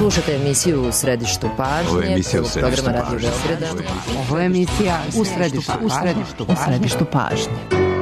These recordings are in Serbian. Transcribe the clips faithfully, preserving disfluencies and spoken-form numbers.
Slušate emisiju U središtu pažnje. Ovo je emisija U središtu programa pažnje. Radio Beograda. Ovo je emisija U središtu pažnje. U središtu pažnje. U središtu pažnje.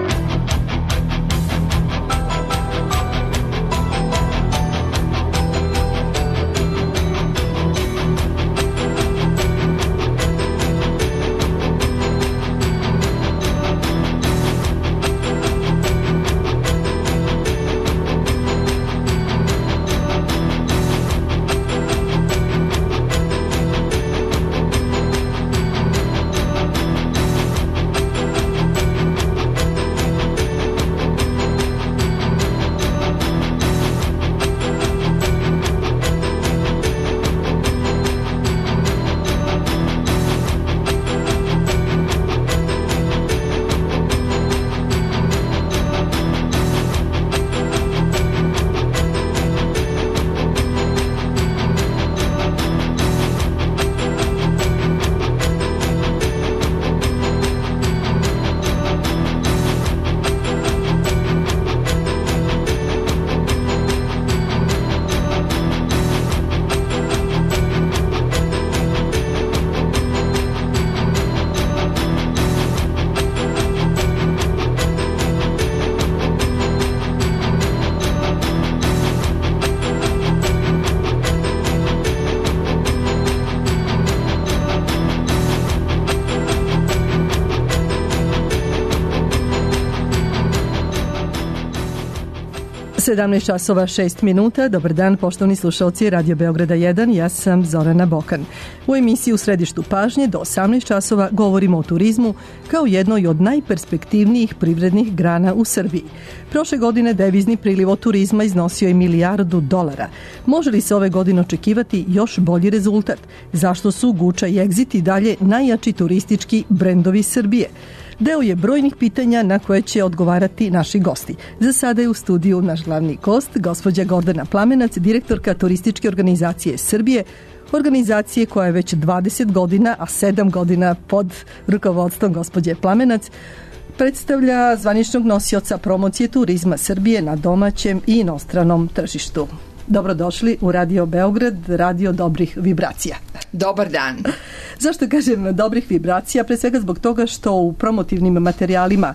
sedamnaest časova šest minuta. Dobar dan, poštovani slušalci Radio Beograda jedan. Ja sam Zorana Bokan. U emisiji U središtu pažnje do osamnaest časova govorimo o turizmu kao jednoj od najperspektivnijih privrednih grana u Srbiji. Prošle godine devizni priliv od turizma iznosio je milijardu dolara. Može li se ove godine očekivati još bolji rezultat? Zašto su Guča i Exit i dalje najjači turistički brendovi Srbije? Deo je brojnih pitanja na koje će odgovarati naši gosti. Za sada je u studiju naš glavni gost, gospođa Gordana Plamenac, direktorka Turističke organizacije Srbije, organizacije koja je već dvadeset godina, a sedam godina pod rukovodstvom gospođe Plamenac, predstavlja zvaničnog nosioca promocije turizma Srbije na domaćem i inostranom tržištu. Dobrodošli u Radio Beograd, radio dobrih vibracija. Dobar dan. Zašto kažem dobrih vibracija? Pre svega zbog toga što u promotivnim materijalima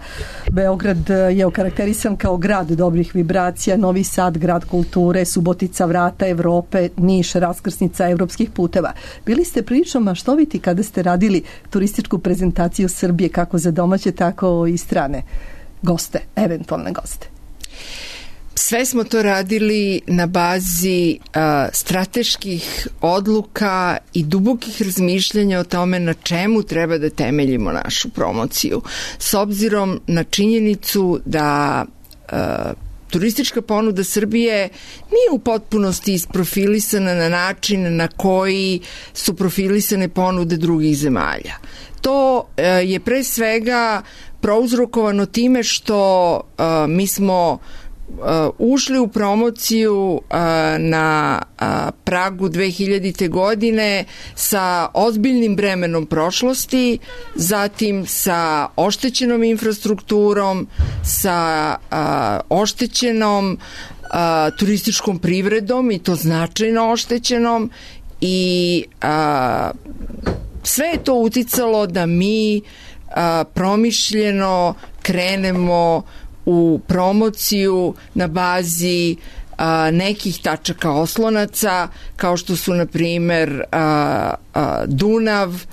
Beograd je okarakterisan kao grad dobrih vibracija, Novi Sad, grad kulture, Subotica, vrata Evrope, Niš, raskrsnica evropskih puteva. Bili ste prilično maštoviti kada ste radili turističku prezentaciju Srbije, kako za domaće, tako i strane goste, eventualne goste. Sve smo to radili na bazi a, strateških odluka i dubokih razmišljanja o tome na čemu treba da temeljimo našu promociju. S obzirom na činjenicu da a, turistička ponuda Srbije nije u potpunosti isprofilisana na način na koji su profilisane ponude drugih zemalja. To a, je pre svega prouzrokovano time što a, mi smo Uh, ušli u promociju uh, na uh, pragu dve hiljadite godine sa ozbiljnim bremenom prošlosti, zatim sa oštećenom infrastrukturom, sa uh, oštećenom uh, turističkom privredom i to značajno oštećenom i uh, sve je to uticalo da mi uh, promišljeno krenemo u promociju na bazi a, nekih tačaka oslonaca, kao što su, na primer, a, a, Dunav,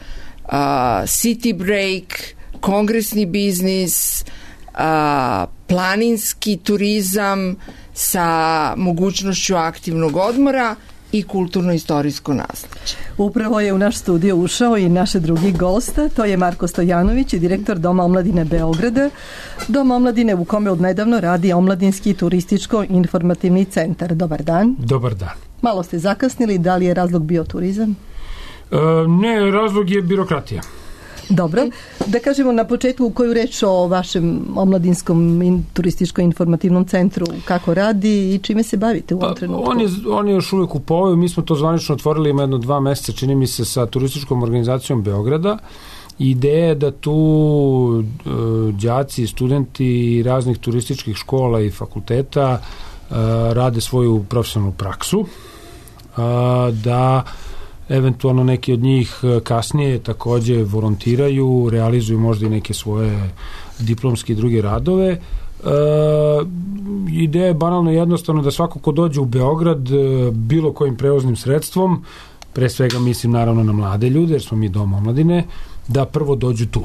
a, City Break, kongresni biznis, a, planinski turizam sa mogućnošću aktivnog odmora i kulturno-istorijsko nasleđe. Upravo je u naš studio ušao i naš drugi gost, to je Marko Stojanović, direktor Doma omladine Beograda. Dom omladine u kome odnedavno radi Omladinski turističko-informativni centar. Dobar dan. Dobar dan. Malo ste zakasnili, da li je razlog bio turizam? E, ne, razlog je birokratija. Dobro. Da kažemo na početku koju reč o vašem omladinskom in, turističko-informativnom centru, kako radi i čime se bavite u ovom trenutku? Pa, on, je, on je još uvijek u povoju, mi smo to zvanično otvorili ima jedno dva meseca, čini mi se, sa turističkom organizacijom Beograda. Ideja je da tu e, đaci, studenti raznih turističkih škola i fakulteta e, rade svoju profesionalnu praksu. da eventualno neki od njih kasnije takođe volontiraju, realizuju možda i neke svoje diplomske i druge radove. E, ideja je banalno jednostavno da svako ko dođe u Beograd bilo kojim prevoznim sredstvom, pre svega mislim naravno na mlade ljude, jer smo mi dom omladine, da prvo dođu tu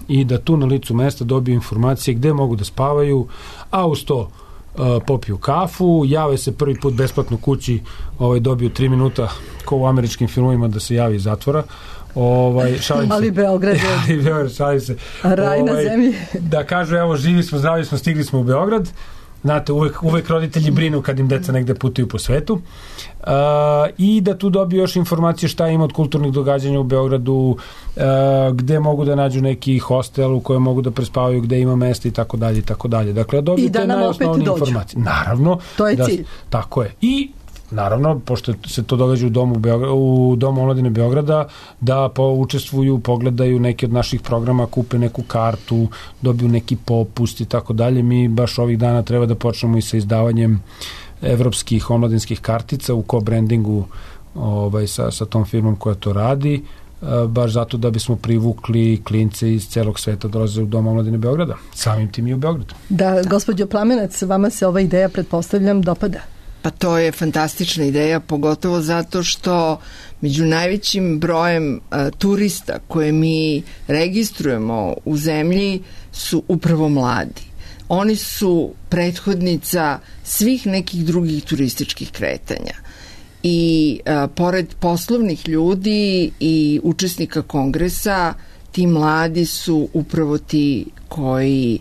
i da tu na licu mesta dobiju informacije gde mogu da spavaju, a uz to uh, popiju kafu, jave se prvi put besplatno kući, ovaj, dobiju tri minuta ko u američkim filmovima da se javi iz zatvora. Ovaj, šalim ali se. Beograd je ali Beograd, šalim se. Raj na ovaj, zemlji. Da kažu, evo, živi smo, zdravi smo, stigli smo u Beograd. Znate, uvek, uvek roditelji brinu kad im deca negde putuju po svetu. Uh, i da tu dobiju još informacije šta ima od kulturnih događanja u Beogradu, uh, gde mogu da nađu neki hostel u kojem mogu da prespavaju, gde ima mesta i tako dalje i tako dalje. Dakle, dobiju te najosnovnije informacije. Naravno. To je da, cilj. Tako je. I naravno, pošto se to događa u domu, Beograd, u domu omladine Beograda, da po, učestvuju, pogledaju neki od naših programa, kupe neku kartu, dobiju neki popust i tako dalje. Mi baš ovih dana treba da počnemo i sa izdavanjem evropskih omladinskih kartica u co-brandingu ovaj, sa, sa tom firmom koja to radi, baš zato da bismo privukli klince iz celog sveta dolaze u Dom omladine Beograda. Samim tim i u Beogradu. Da, gospođo Plamenac, vama se ova ideja, pretpostavljam, dopada? Pa to je fantastična ideja, pogotovo zato što među najvećim brojem a, turista koje mi registrujemo u zemlji su upravo mladi. Oni su prethodnica svih nekih drugih turističkih kretanja. I a, pored poslovnih ljudi i učesnika kongresa, ti mladi su upravo ti koji,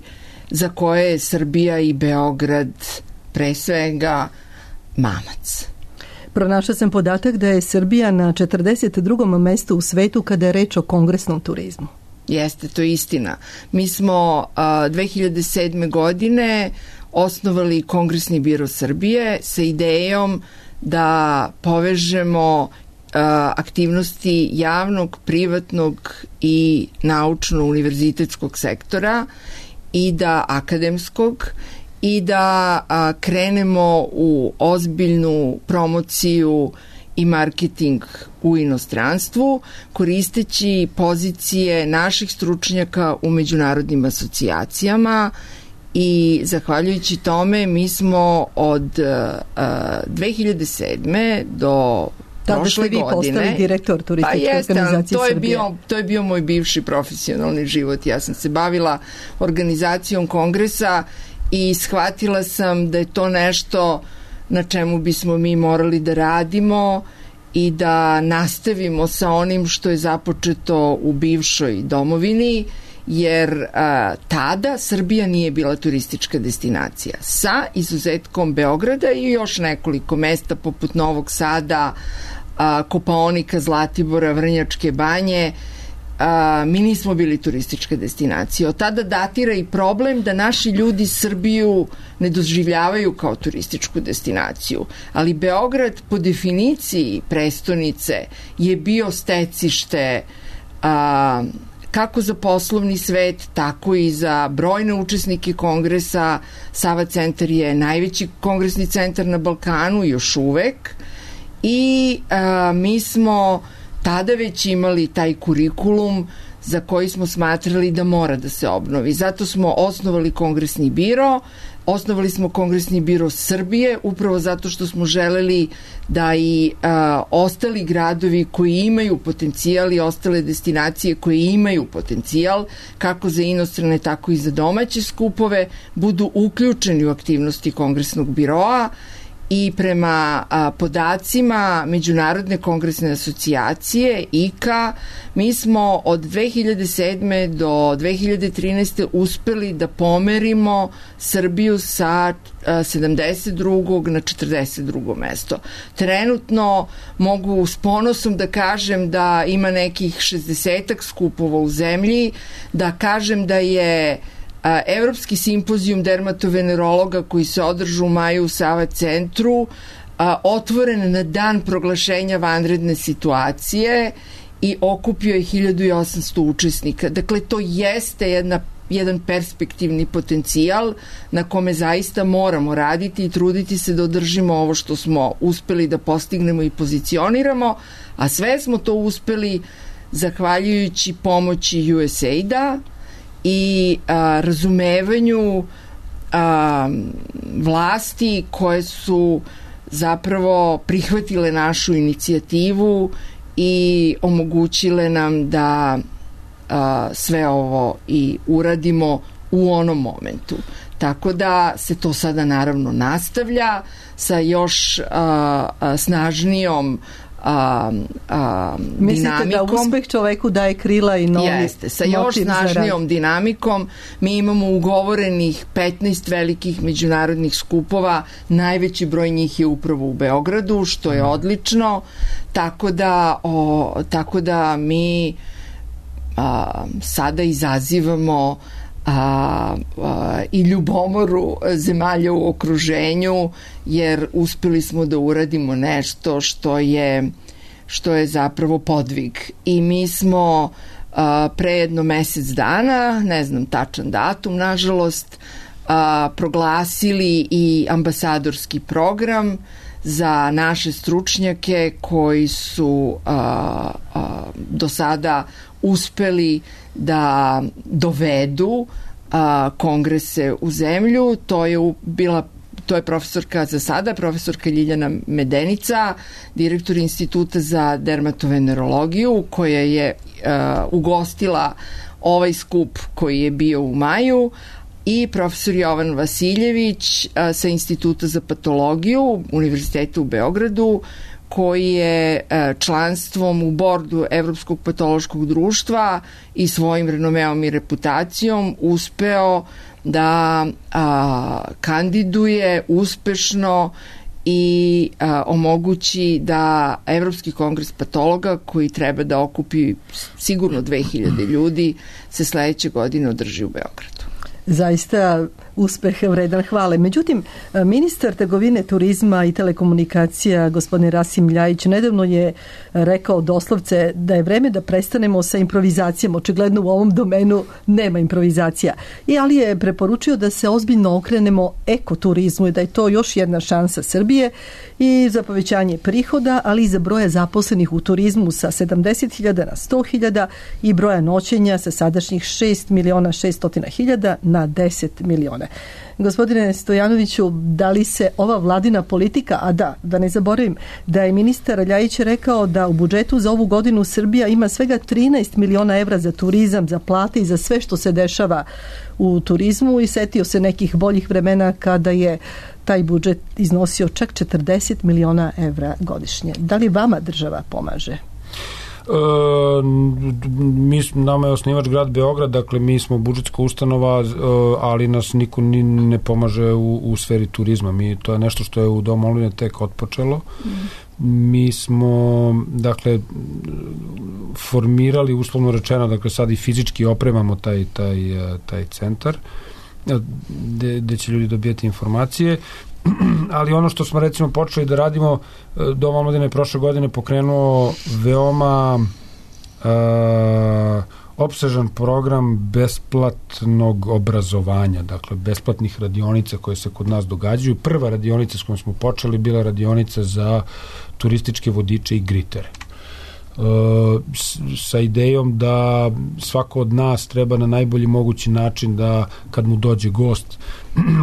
za koje je Srbija i Beograd pre svega mamac. Pronašla sam podatak da je Srbija na četrdeset drugom mestu u svetu kada je reč o kongresnom turizmu. Jeste, to je istina. Mi smo a, dve hiljade sedme. godine osnovali Kongresni biro Srbije sa idejom da povežemo a, aktivnosti javnog, privatnog i naučno-univerzitetskog sektora i da akademskog i da a, krenemo u ozbiljnu promociju i marketing u inostranstvu, koristeći pozicije naših stručnjaka u međunarodnim asocijacijama i zahvaljujući tome mi smo od a, dve hiljade sedme. do Tada ste vi postali direktor turističke pa jeste, organizacije to je Srbije. Bio, to je bio moj bivši profesionalni život. Ja sam se bavila organizacijom kongresa i shvatila sam da je to nešto na čemu bismo mi morali da radimo i da nastavimo sa onim što je započeto u bivšoj domovini, jer a, tada Srbija nije bila turistička destinacija. Sa izuzetkom Beograda i još nekoliko mesta poput Novog Sada, a, Kopaonika, Zlatibora, Vrnjačke banje, a, mi nismo bili turistička destinacija. Od tada datira i problem da naši ljudi Srbiju ne doživljavaju kao turističku destinaciju. Ali Beograd po definiciji prestonice je bio stecište a, kako za poslovni svet, tako i za brojne učesnike kongresa. Sava centar je najveći kongresni centar na Balkanu još uvek i a, mi smo tada već imali taj kurikulum za koji smo smatrali da mora da se obnovi. Zato smo osnovali Kongresni biro, osnovali smo Kongresni biro Srbije, upravo zato što smo želeli da i a, ostali gradovi koji imaju potencijal i ostale destinacije koje imaju potencijal, kako za inostrane, tako i za domaće skupove, budu uključeni u aktivnosti Kongresnog biroa. I prema a, podacima Međunarodne kongresne asocijacije I K A, mi smo od dve hiljade sedme. do dve hiljade trinaeste. uspeli da pomerimo Srbiju sa a, sedamdeset drugog na četrdeset drugo mesto. Trenutno mogu s ponosom da kažem da ima nekih šezdesetak skupova u zemlji, da kažem da je Evropski simpozijum dermatovenerologa koji se održu u maju u Sava centru a, otvoren na dan proglašenja vanredne situacije i okupio je hiljadu osamsto učesnika. Dakle, to jeste jedna jedan perspektivni potencijal na kome zaista moramo raditi i truditi se da održimo ovo što smo uspeli da postignemo i pozicioniramo, a sve smo to uspeli zahvaljujući pomoći U S A I D-a i a, razumevanju a, vlasti koje su zapravo prihvatile našu inicijativu i omogućile nam da a, sve ovo i uradimo u onom momentu. Tako da se to sada naravno nastavlja sa još a, a, snažnijom a, a, Mislite dinamikom. da uspeh čoveku daje krila i novi Jeste, sa još snažnijom dinamikom. Mi imamo ugovorenih petnaest velikih međunarodnih skupova, najveći broj njih je upravo u Beogradu, što je odlično, tako da, o, tako da mi a, sada izazivamo A, a, i ljubomoru zemalja u okruženju, jer uspeli smo da uradimo nešto što je što je zapravo podvig. I mi smo a, pre jedno mesec dana, ne znam tačan datum, nažalost, a, proglasili i ambasadorski program za naše stručnjake koji su a, a, do sada uspeli da dovedu a, kongrese u zemlju. To je u, bila to je profesorka za sada, profesorka Ljiljana Medenica, direktor Instituta za dermatovenerologiju, koja je a, ugostila ovaj skup koji je bio u maju, i profesor Jovan Vasiljević a, sa Instituta za patologiju Univerziteta u Beogradu, koji je članstvom u bordu Evropskog patološkog društva i svojim renomeom i reputacijom uspeo da a, kandiduje uspešno i a, omogući da Evropski kongres patologa, koji treba da okupi sigurno dve hiljade ljudi, se sledeće godine održi u Beogradu. Zaista uspeh vredan hvale. Međutim, ministar trgovine, turizma i telekomunikacija gospodin Rasim Ljajić nedavno je rekao doslovce da je vreme da prestanemo sa improvizacijom. Očigledno u ovom domenu nema improvizacija. I ali je preporučio da se ozbiljno okrenemo ekoturizmu i da je to još jedna šansa Srbije i za povećanje prihoda, ali i za broja zaposlenih u turizmu sa sedamdeset hiljada na sto hiljada i broja noćenja sa sadašnjih šest miliona šesto hiljada na deset miliona. Gospodine Stojanoviću, da li se ova vladina politika, a da, da ne zaboravim, da je ministar Ljajić rekao da u budžetu za ovu godinu Srbija ima svega trinaest miliona evra za turizam, za plate i za sve što se dešava u turizmu, i setio se nekih boljih vremena kada je taj budžet iznosio čak četrdeset miliona evra godišnje. Da li vama država pomaže? E, mi, nama je osnivač grad Beograd, dakle mi smo budžetska ustanova, ali nas niko ni ne pomaže u, u sferi turizma. Mi, to je nešto što je u Domu omladine tek otpočelo. Mm. Mi smo, dakle, formirali, uslovno rečeno, dakle sad i fizički opremamo taj, taj, taj centar gde, gde će ljudi dobijati informacije. Ali ono što smo recimo počeli da radimo, Dom omladine je prošle godine pokrenuo veoma uh, opsežan program besplatnog obrazovanja, dakle besplatnih radionica koje se kod nas događaju. Prva radionica s kojom smo počeli bila radionica za turističke vodiče i gritere. Uh, s, sa idejom da svako od nas treba na najbolji mogući način da kad mu dođe gost,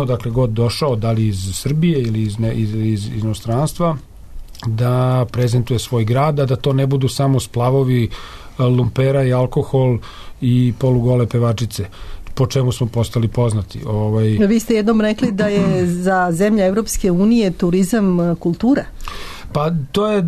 odakle god došao, da li iz Srbije ili iz, ne, iz, iz, iz inostranstva, da prezentuje svoj grad, a da to ne budu samo splavovi, lumpera i alkohol i polugole pevačice, po čemu smo postali poznati. Ovaj... Vi ste jednom rekli da je za zemlje Evropske unije turizam kultura. Pa to je,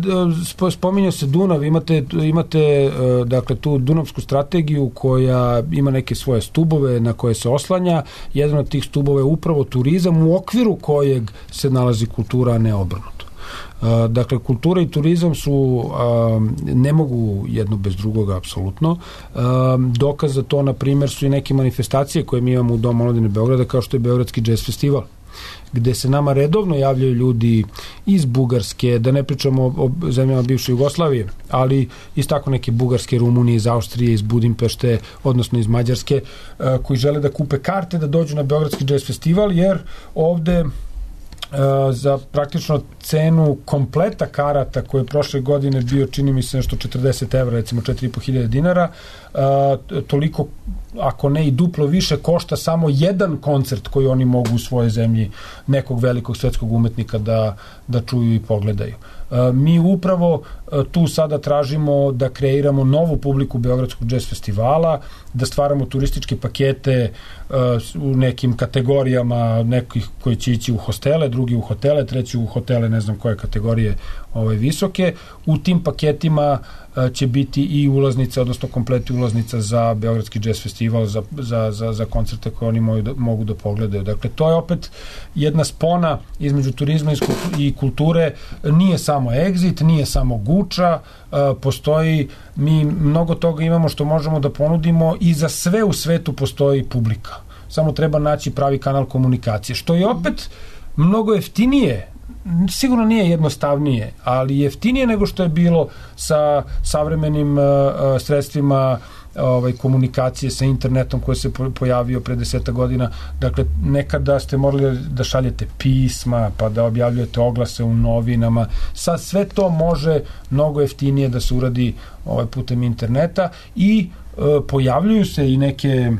spominjao se Dunav, imate, imate dakle tu Dunavsku strategiju koja ima neke svoje stubove na koje se oslanja. Jedan od tih stubova je upravo turizam u okviru kojeg se nalazi kultura, a ne obrnuto. Dakle, kultura i turizam su, ne mogu jedno bez drugoga apsolutno. Dokaz za to, na primjer, su i neke manifestacije koje mi imamo u Domu omladine Beograda, kao što je Beogradski džez festival. gde se nama redovno javljaju ljudi iz Bugarske, da ne pričamo o zemljama bivše Jugoslavije, ali iz tako neke Bugarske, Rumunije, iz Austrije, iz Budimpešte, odnosno iz Mađarske, koji žele da kupe karte da dođu na Beogradski jazz festival, jer ovde za praktično cenu kompleta karata koje je prošle godine bio, čini mi se, nešto četrdeset evra, recimo četiri i po hiljade dinara, toliko, ako ne i duplo više, košta samo jedan koncert koji oni mogu u svojoj zemlji nekog velikog svetskog umetnika da, da čuju i pogledaju. Mi upravo tu sada tražimo da kreiramo novu publiku Beogradskog jazz festivala, da stvaramo turističke pakete u nekim kategorijama, nekih koji će ići u hostele, drugi u hotele, treći u hotele, ne znam koje kategorije ove, visoke. U tim paketima će biti i ulaznica, odnosno kompleti ulaznica za Beogradski jazz festival, za, za, za, za koncerte koje oni mogu da, mogu da pogledaju. Dakle, to je opet jedna spona između turizma i kulture. Nije samo Exit, nije samo Guča, postoji, mi mnogo toga imamo što možemo da ponudimo i za sve u svetu postoji publika. Samo treba naći pravi kanal komunikacije, što je opet mnogo jeftinije, sigurno nije jednostavnije, ali jeftinije nego što je bilo sa savremenim uh, sredstvima ovaj, komunikacije sa internetom koji se pojavio pre deseta godina. Dakle, nekada ste morali da šaljete pisma, pa da objavljujete oglase u novinama. Sad sve to može mnogo jeftinije da se uradi ovaj, putem interneta i uh, pojavljuju se i neke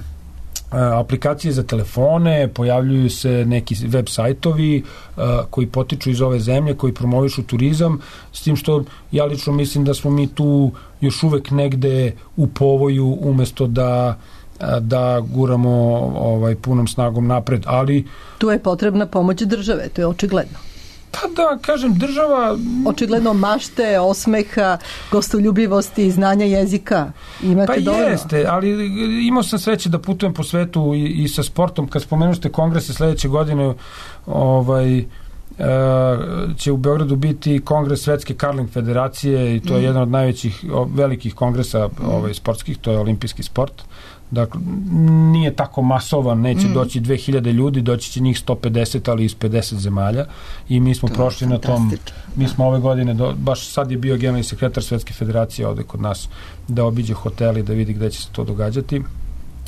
aplikacije za telefone, pojavljuju se neki web sajtovi uh, koji potiču iz ove zemlje, koji promovišu turizam, s tim što ja lično mislim da smo mi tu još uvek negde u povoju umesto da da guramo ovaj, punom snagom napred, ali tu je potrebna pomoć države, to je očigledno. Pa da, kažem, država... Očigledno mašte, osmeha, gostoljubivosti, znanja jezika. Imate pa dovoljno? Jeste, ali imao sam sreće da putujem po svetu i, i sa sportom. Kad spomenuste kongrese sledeće godine, ovaj, će u Beogradu biti kongres Svetske Karling federacije i to je mm. jedan od najvećih velikih kongresa ovaj, sportskih, to je olimpijski sport. Dakle, nije tako masovan, neće mm. doći dve hiljade ljudi, doći će njih sto pedeset, ali iz pedeset zemalja i mi smo to prošli na tom, mi smo ove godine, do, baš sad je bio generalni sekretar Svetske federacije ovde kod nas da obiđe hoteli, da vidi gde će se to događati,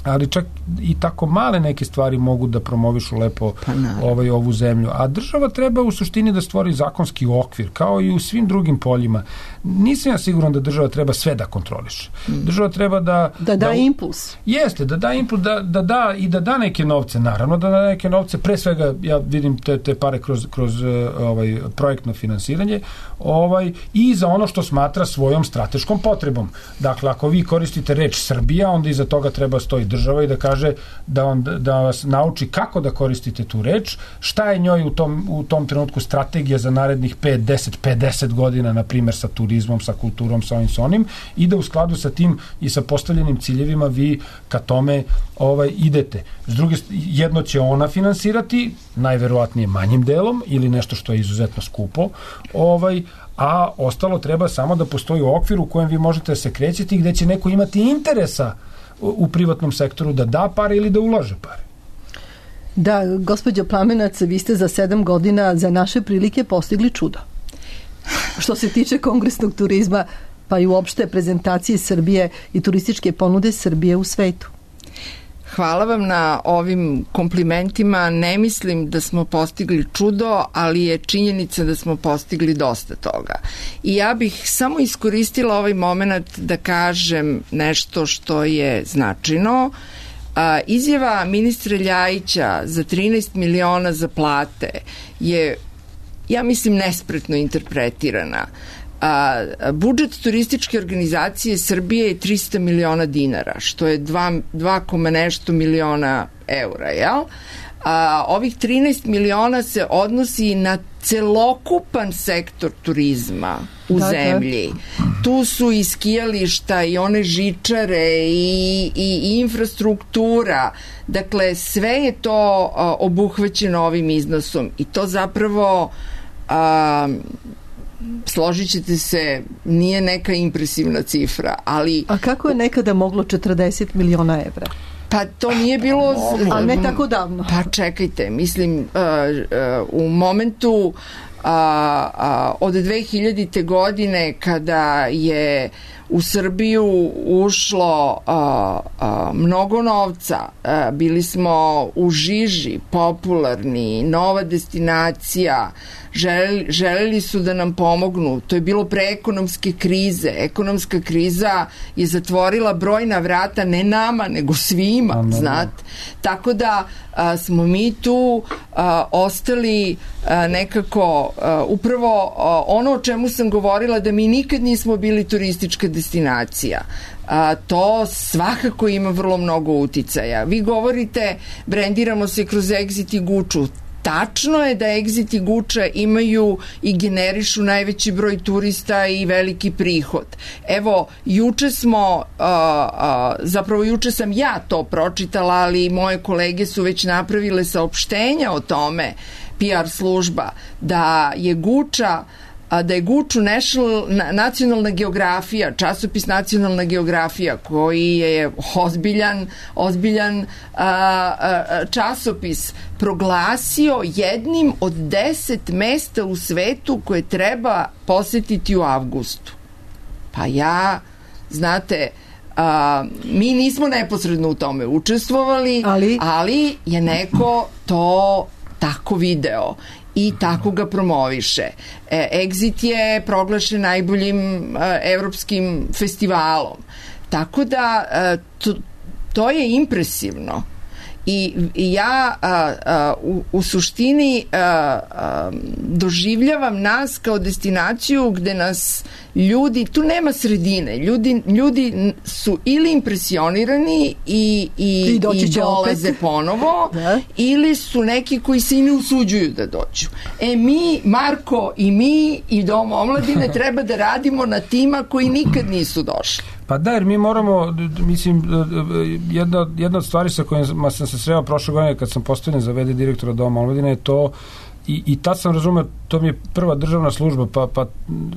ali čak i tako male neke stvari mogu da promovišu lepo pa ovaj, ovu zemlju. A država treba u suštini da stvori zakonski okvir, kao i u svim drugim poljima. Nisam ja siguran da država treba sve da kontroliše. Država treba da... Da da, da impuls. Jeste, da da impuls, da, da da i da da neke novce, naravno, da da neke novce, pre svega, ja vidim te, te pare kroz, kroz ovaj, projektno finansiranje, ovaj, i za ono što smatra svojom strateškom potrebom. Dakle, ako vi koristite reč Srbija, onda iza toga treba stoji država i da kaže da, on, da vas nauči kako da koristite tu reč, šta je njoj u tom, u tom trenutku strategija za narednih pet, deset, pedeset godina, na primjer sa turizmom, sa kulturom, sa ovim, sa onim, i da u skladu sa tim i sa postavljenim ciljevima vi ka tome ovaj, idete. S druge, jedno će ona finansirati, najverovatnije manjim delom, ili nešto što je izuzetno skupo, ovaj, a ostalo treba samo da postoji okvir u kojem vi možete da se krećete i gde će neko imati interesa u privatnom sektoru da da pare ili da ulaže pare. Da, gospođo Plamenac, vi ste za sedam godina za naše prilike postigli čudo. Što se tiče kongresnog turizma, pa i uopšte prezentacije Srbije i turističke ponude Srbije u svetu. Hvala vam na ovim komplimentima. Ne mislim da smo postigli čudo, ali je činjenica da smo postigli dosta toga. I ja bih samo iskoristila ovaj moment da kažem nešto što je značajno. Izjava ministra Ljajića za trinaest miliona za plate je, ja mislim, nespretno interpretirana. A, budžet turističke organizacije Srbije je trista miliona dinara, što je dva koma nešto miliona eura, jel? A, ovih trinaest miliona se odnosi na celokupan sektor turizma u da, zemlji. Da. Tu su i skijališta i one žičare i, i, i infrastruktura. Dakle, sve je to a, obuhvaćeno ovim iznosom i to zapravo a, složit ćete se, nije neka impresivna cifra, ali... A kako je nekada moglo četrdeset miliona evra? Pa to nije bilo... Ali ne tako davno. Pa čekajte, mislim, uh, uh, u momentu a, a, od dve hiljadite. godine kada je u Srbiju ušlo a, a, mnogo novca, a, bili smo u žiži, popularni, nova destinacija, želeli, želeli su da nam pomognu. To je bilo pre ekonomske krize. Ekonomska kriza je zatvorila brojna vrata, ne nama, nego svima, no, no, znate. Tako da a, smo mi tu a, ostali a, nekako a, upravo a, ono o čemu sam govorila, da mi nikad nismo bili turistička destinacija. A, to svakako ima vrlo mnogo uticaja. Vi govorite, brendiramo se kroz Exit i Guču. Tačno je da Exit i Guča imaju i generišu najveći broj turista i veliki prihod. Evo, juče smo, uh, uh, zapravo juče sam ja to pročitala, ali moje kolege su već napravile saopštenja o tome, P R služba, da je Guča a da je Guču National, nacionalna geografija, časopis Nacionalna geografija, koji je ozbiljan, ozbiljan a, a, časopis, proglasio jednim od deset mesta u svetu koje treba posetiti u avgustu. Pa ja, znate, a, mi nismo neposredno u tome učestvovali, ali, ali je neko to tako video i tako ga promoviše. E, Exit je proglašen najboljim e, evropskim festivalom. Tako da e, to, to je impresivno. I, i ja a, a, u, u suštini a, a, doživljavam nas kao destinaciju gde nas ljudi, tu nema sredine, ljudi, ljudi su ili impresionirani i, i, i, i dolaze opet ponovo, da. Ili su neki koji se i ne usuđuju da dođu. E mi, Marko i mi i Dom omladine treba da radimo na tima koji nikad nisu došli. Pa da, jer mi moramo, mislim, jedna, jedna od stvari sa kojima sam se sreo prošle godine kad sam postavljen za v d direktora Doma omladine je to, i, i tad sam razumeo, to mi je prva državna služba, pa, pa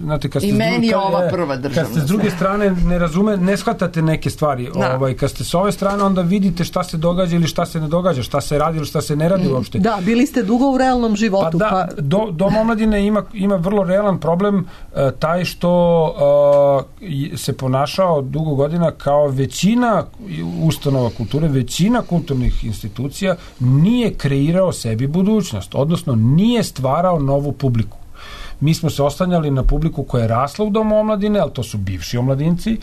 znate, kad ste, I meni je ova prva državna kad ste s druge strane ne razume, ne shvatate neke stvari, da. ovaj, kad ste s ove strane onda vidite šta se događa ili šta se ne događa, šta se radi ili šta se ne radi mm. uopšte. Da, bili ste dugo u realnom životu. Pa da, pa... Do, Dom omladine ima, ima vrlo realan problem, uh, taj što uh, se ponašao dugo godina kao većina ustanova kulture, većina kulturnih institucija nije kreirao sebi budućnost, odnosno nije stvarao novu publiku. Mi smo se oslanjali na publiku koja je rasla u Domu omladine, ali to su bivši omladinci,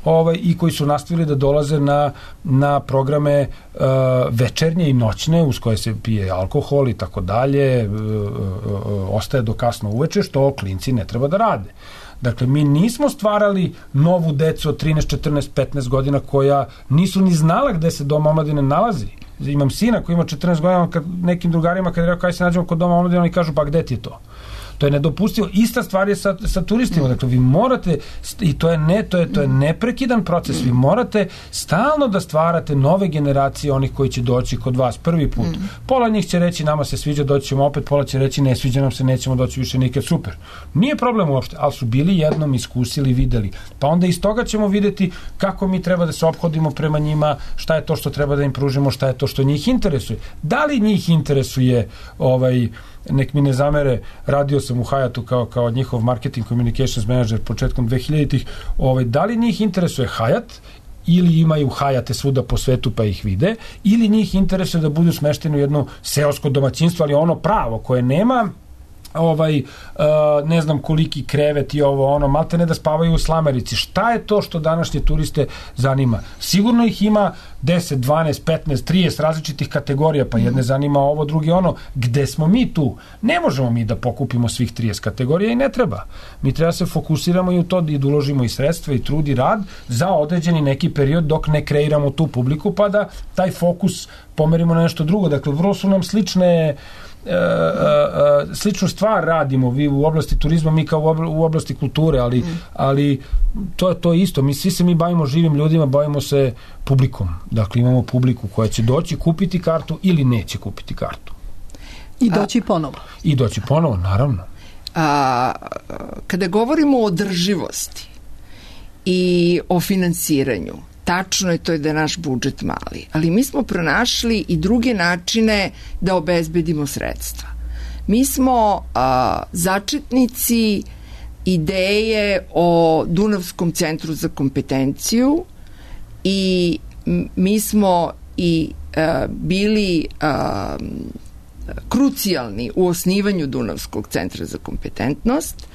ovaj, i koji su nastavili da dolaze na, na programe uh, večernje i noćne, uz koje se pije alkohol i tako dalje, uh, uh, ostaje do kasno uveče, što klinci ne treba da rade. Dakle, mi nismo stvarali novu decu od trinaest, četrnaest, petnaest godina koja nisu ni znala gde se Dom omladine nalazi. Imam sina koji ima četrnaest godina, kad nekim drugarima kad je rekao kaj se nađemo kod Doma omladine, oni kažu pa gde ti je to? To je nedopustivo. Ista stvar je sa, sa turistima. Dakle, vi morate, i to je, ne, to je, to je neprekidan proces, vi morate stalno da stvarate nove generacije onih koji će doći kod vas prvi put. Pola njih će reći nama se sviđa, doći ćemo opet, pola će reći ne sviđa nam se, nećemo doći više nikad, super. Nije problem uopšte, ali su bili jednom iskusili, videli. Pa onda iz toga ćemo videti kako mi treba da se ophodimo prema njima, šta je to što treba da im pružimo, šta je to što njih interesuje. Da li njih interesuje ovaj nek mi ne zamere, radio sam u Hayatu kao, kao njihov marketing communications manager početkom dve hiljaditih, ovaj, da li njih interesuje Hayat ili imaju Hayate svuda po svetu pa ih vide, ili njih interesuje da budu smešteni u jedno seosko domaćinstvo, ali ono pravo koje nema ovaj, uh, ne znam koliki krevet i ovo, ono, malte ne da spavaju u slamerici. Šta je to što današnje turiste zanima? Sigurno ih ima deset, dvanaest, petnaest, trideset različitih kategorija, pa jedne zanima ovo, drugi ono. Gde smo mi tu? Ne možemo mi da pokupimo svih trideset kategorija i ne treba. Mi treba se fokusiramo i u to i da uložimo i sredstva i trud i rad za određeni neki period dok ne kreiramo tu publiku, pa da taj fokus pomerimo na nešto drugo. Dakle, vrlo su nam slične Uh, uh, sličnu stvar radimo vi u oblasti turizma, mi kao u oblasti kulture, ali, mm. ali to je to isto, mi svi se mi bavimo živim ljudima, bavimo se publikom, dakle imamo publiku koja će doći kupiti kartu ili neće kupiti kartu i doći ponovo i doći ponovo, naravno. A, kada govorimo o održivosti i o finansiranju, tačno je to je da je naš budžet mali, ali mi smo pronašli i druge načine da obezbedimo sredstva. Mi smo a, začetnici ideje o Dunavskom centru za kompetenciju i mi smo i a, bili a, krucijalni u osnivanju Dunavskog centra za kompetentnost,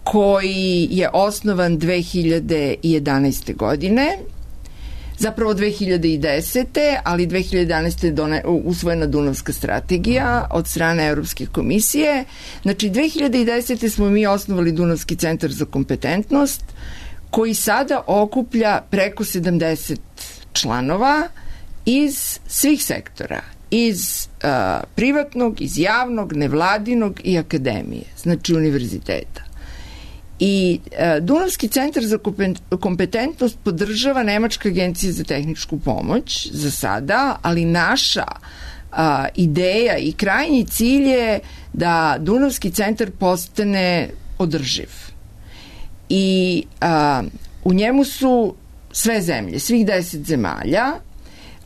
koji je osnovan dve hiljade jedanaeste. godine, zapravo dve hiljade desete. ali dve hiljade jedanaeste. je usvojena Dunavska strategija od strane Evropske komisije. Znači, dve hiljade desete. smo mi osnovali Dunavski centar za kompetentnost, koji sada okuplja preko sedamdeset članova iz svih sektora, iz uh, privatnog, iz javnog, nevladinog i akademije, znači univerziteta. I uh, Dunavski centar za kompetentnost podržava Nemačka agencija za tehničku pomoć za sada, ali naša uh, ideja i krajnji cilj je da Dunavski centar postane održiv. I uh, u njemu su sve zemlje, svih deset zemalja.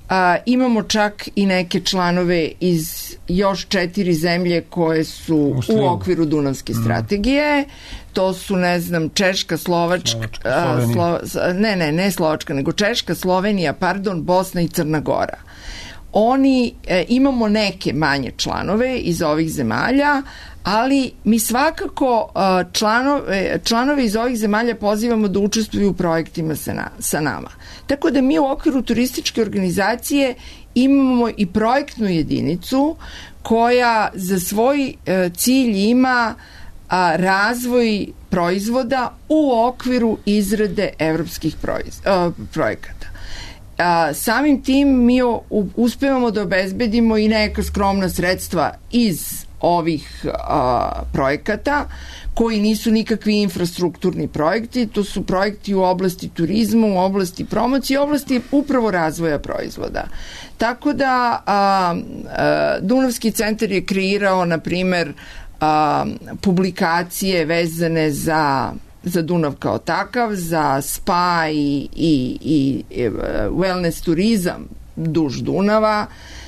A, imamo čak i neke članove iz još četiri zemlje koje su Muslim. u okviru Dunavske strategije. Mm. To su, ne znam, Češka, Slovačka, Slovačka Slo, ne, ne, ne Slovačka, nego Češka, Slovenija, pardon, Bosna i Crna Gora. Oni, e, imamo neke manje članove iz ovih zemalja, ali mi svakako članove, članove iz ovih zemalja pozivamo da učestvuju u projektima sa, na, sa nama. Tako da mi u okviru turističke organizacije imamo i projektnu jedinicu koja za svoj cilj ima razvoj proizvoda u okviru izrade evropskih proiz, projekata. A, samim tim mi o, u, uspevamo da obezbedimo i neka skromna sredstva iz ovih a, projekata, koji nisu nikakvi infrastrukturni projekti, to su projekti u oblasti turizma, u oblasti promocije, u oblasti upravo razvoja proizvoda. Tako da a, a, Dunavski centar je kreirao, na primer, a, publikacije vezane za za Dunav kao takav, za spa i, i, i wellness turizam duž Dunava,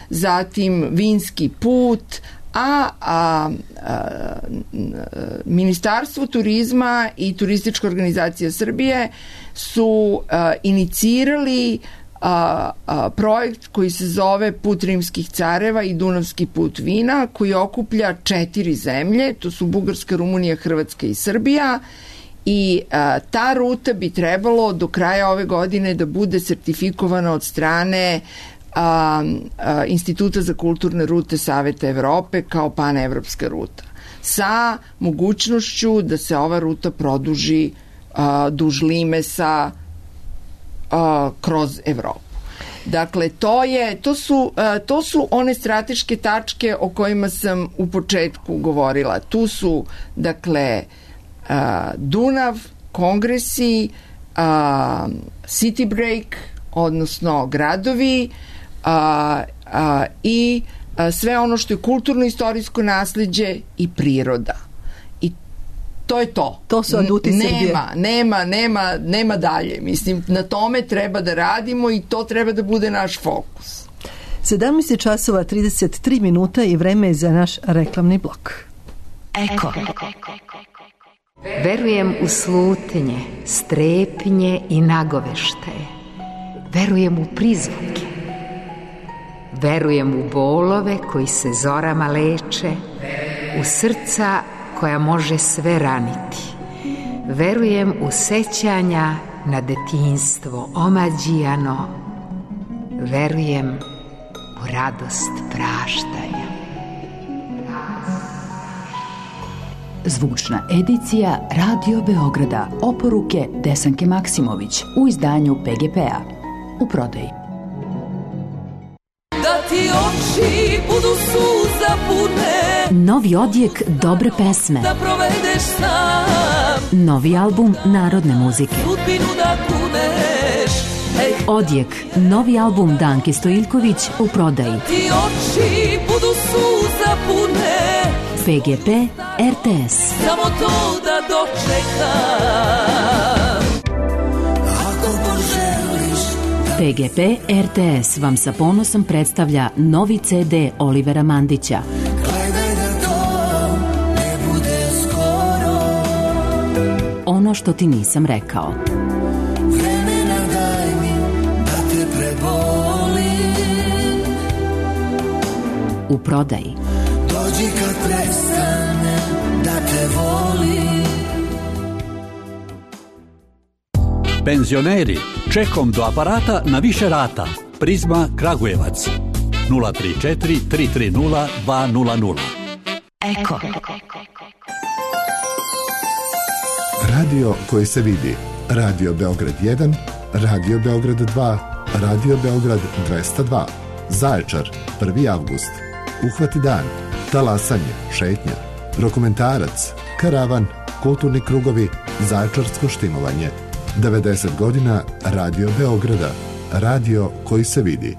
zatim vinski put, a, a, a Ministarstvo turizma i Turistička organizacija Srbije su a, inicirali a, a, projekt koji se zove Put rimskih careva i Dunavski put vina, koji okuplja četiri zemlje, to su Bugarska, Rumunija, Hrvatska i Srbija. I a, ta ruta bi trebalo do kraja ove godine da bude sertifikovana od strane a, a, Instituta za kulturne rute Saveta Evrope kao panevropska ruta, sa mogućnošću da se ova ruta produži a, duž Limesa a, kroz Evropu. Dakle, to, je, to, su, a, to su one strateške tačke o kojima sam u početku govorila. Tu su, dakle, Uh, Dunav, kongresi, uh, city break, odnosno gradovi uh, uh, i uh, sve ono što je kulturno-istorijsko nasleđe i priroda. I to je to. To su aduti Srbije. Nema, nema, nema, nema dalje. Mislim, na tome treba da radimo i to treba da bude naš fokus. sedamnaest časova trideset tri minuta i vreme je za naš reklamni blok. Eko. Verujem u slutnje, strepnje i nagoveštaje. Verujem u prizvuke. Verujem u bolove koji se zorama leče, u srca koja može sve raniti. Verujem u sećanja na detinjstvo omađijano. Verujem u radost praštanja. Zvučna edicija Radio Beograda. Oporuke Desanke Maksimović u izdanju P G P-a. U prodaji. Da ti oči budu suza pune. Novi odjek dobre pesme. Da provedeš sam. Novi album narodne muzike. Sudbinu da kuneš. Ej. Odjek, novi album Danke Stojiljković u prodaji. Ti oči budu suza pune. P G P R T S. Samo to da dočekam. Ako poželiš P G P R T S vam sa ponosom predstavlja novi C D Olivera Mandića. Gledaj da to ne bude skoro. Ono što ti nisam rekao. Vremena daj mi da te prebolim. U prodaji. Dođi kad prestane da te volim. Penzioneri, čekom do aparata na više rata. Prizma Kragujevac. nula tri četiri tri tri nula dva nula nula. Eko. Radio koji se vidi. Radio Beograd jedan, Radio Beograd dva, Radio Beograd dvesta dva. Zaječar, prvi avgust. Uhvati dan, talasanje, šetnja, dokumentarac, karavan, kulturni krugovi, zaječarsko štimovanje. devedeset godina Radio Beograda. Radio koji se vidi.